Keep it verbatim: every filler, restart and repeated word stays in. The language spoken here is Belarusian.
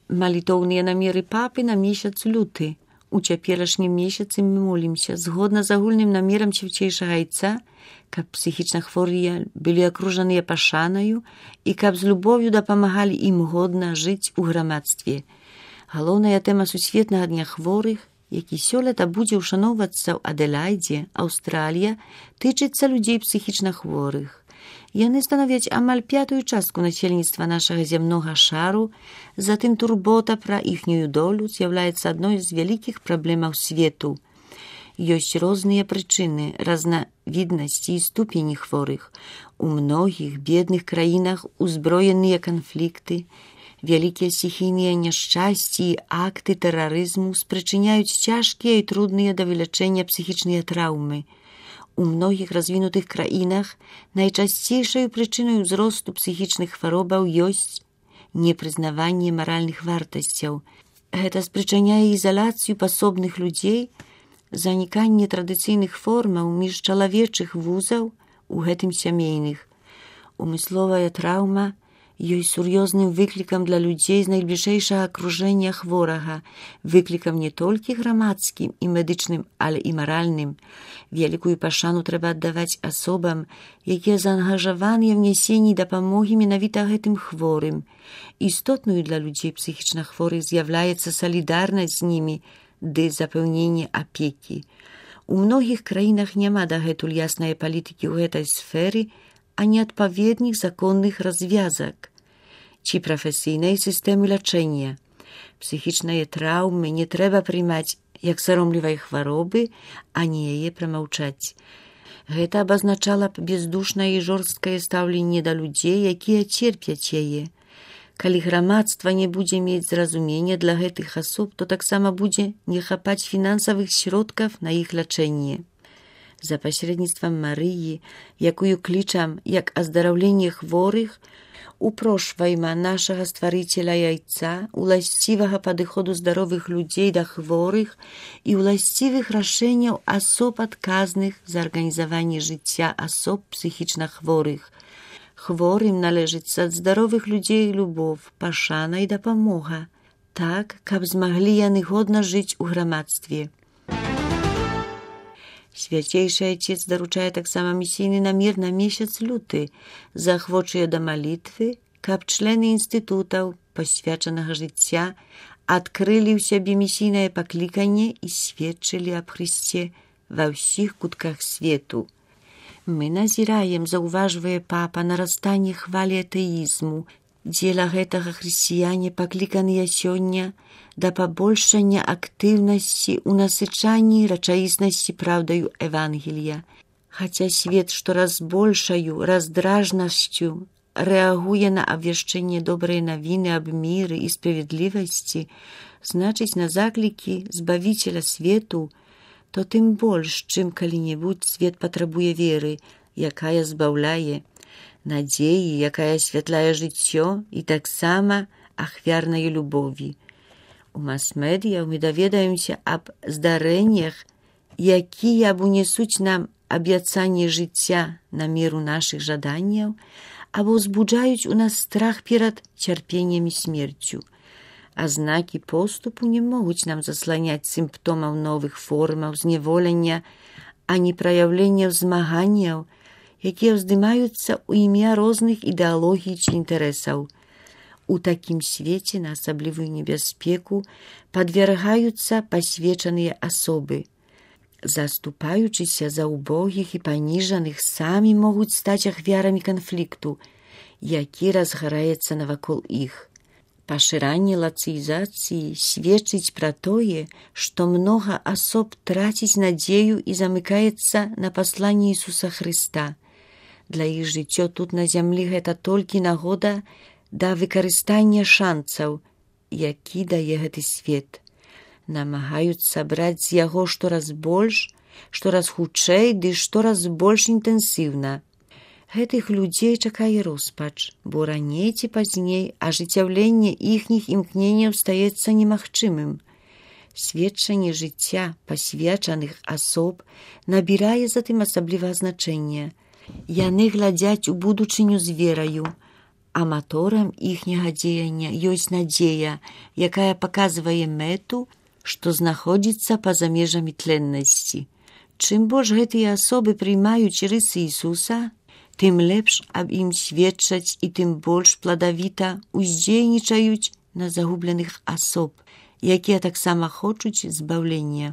Малітоўныя намеры папы на месяц люты. У цяперашнім месяцы мы молімся, згодна з агульным намерам Свяцейшага Айца, каб псіхічна хворыя былі акружаныя пашанаю і каб з любов'ю дапамагалі ім годна жыць у грамадстве. Галоўная тэма сусветнага дня хворых, які сёлета будзе ўшаноўвацца ў Аделаідзе, Аўстралія, тычыцца людзей псіхічна хворых. Яны становяць амаль пятую частку насельніцтва нашага зямнога шару, затым турбота пра іхнюю долю з'яўляецца адной з вялікіх праблемаў свету. Ёсць розныя прычыны разнавіднасці і ступені хворых. У многіх бедных краінах узброеныя канфлікты, вялікія стихійныя няшчасці і акты тэрарызму спрычыняюць цяжкія і трудныя да вылячэння псіхічныя траўмы. У многіх развінутых краінах найчасцейшай прычынай узросту псіхічных хваробаў ёсць непрызнаванне маральных вартасцяў. Гэта спрычыняе ізалацыю пасобных людзей, заніканне традыцыйных формаў міжчалавечых вузаў, у гэтым сямейных. Умысловая траўма ёсць сур'ёзным выклікам для людзей з найбліжэйшага акружэння хворага, выклікам не толькі грамадскім і медычным, але і маральным. Вялікую пашану трэба аддаваць асобам, якія заангажаваныя ў нясенні дапамогі менавіта гэтым хворым. Істотною для людзей псіхічна хворых з'яўляецца салідарнасць з імі ды запэўненне апекі. У многіх краінах няма дагэтуль яснай палітыкі ў гэтай сферы, а не адпаведных законных развязак ці прафесійнай сістэмы лячэння. Псіхічныя траўмы не трэба прымаць як саромлівай хваробы, а не яе прамаўчаць. Гэта абазначала б бездушнае і жорсткае стаўленне да людзей, якія церпяць яе. Калі грамадства не будзе мець зразумення для гэтых асоб, то таксама будзе не хапаць фінансавых сродкаў на іх лячэнне. За пасярэдніцтвам Марыі, якую клічам як аздараўленне хворых, упрошвайма нашага стварыцеля Яйца, уласцівага падыходу здаровых людзей да хворых і уласцівых рашэнняў асоб адказных за арганізаванне жыцця асоб псіхічна хворых. Хворым належыцца ад здаровых людзей любоў, пашана і дапамога, так, каб змаглі яны годна жыць у грамадстве. Свяцейшы Айцец даручае таксама місійны намер на месяц люты, заахвочуе да малітвы, каб члены інстытутаў пасвячанага жыцця адкрылі ў сябе місійнае пакліканне і сведчылі аб Хрысце ва ўсіх кутках свету. Мы назіраем, заўважвае папа, нарастанне хвалі атэізму. Дзеля гэтага хрысціяне пакліканыя сёння да пабольшання актыўнасці ў насычанні рэчаіснасці праўдаю Евангелія. Хаця свет штораз большаю раздражнасцю рэагуе на абвяшчэнне добрай навіны аб міры і справядлівасці, значыць на заклікі збавіцеля свету, то тым больш, чым калі-небудзь свет патрабуе веры, якая збаўляе, надзеі, якая асвятляе жыццё і таксама ахвярнай любові. У мас-медыях мы даведаемся аб здарэннях, якія або несуць нам абяцанне жыцця на меру нашых жаданняў, або ўзбуджаюць у нас страх перад цярпеннем і смерцю. А знакі поступу не могуць нам засланяць сімптомаў новых формаў зневолення, а не праяўленняў змаганняў, якія ўздымаюцца ў імя розных ідэалогій ці інтарэсаў. У такім свеце на асаблівую небяспеку падвяргаюцца пасвечаныя асобы. Заступаючыся за убогіх і паніжаных, самі могуць стаць ахвярамі канфлікту, які разгараецца навакол іх. Пашыранне лацыізацыі сведчыць пра тое, што многа асоб траціць надзею і замыкаецца на пасланні Ісуса Хрыста. Для іх жыццё тут на зямлі гэта толькі нагода да выкарыстання шанцаў, які дае гэты свет. Намагаюцца браць з яго штораз больш, штораз хутчэй ды штораз больш інтэнсіўна. Гэтых людзей чакае роспач, бо раней ці пазней ажыццяўленне іхніх імкненняў стаецца немагчымым. Сведчанне жыцця пасвячаных асоб набірае затым асаблівага значэння. Яны глядзяць у будучыню з вераю, аматорам іхняга дзеяння ёсць надзея, якая паказвае мэту, што знаходзіцца па-за межамі тленнасці. Чым больш гэтыя асобы прымаюць рысы Ісуса, тым лепш аб ім сведчаць і тым больш пладавіта ўздзейнічаюць на загубленых асоб, якія таксама хочуць збаўлення.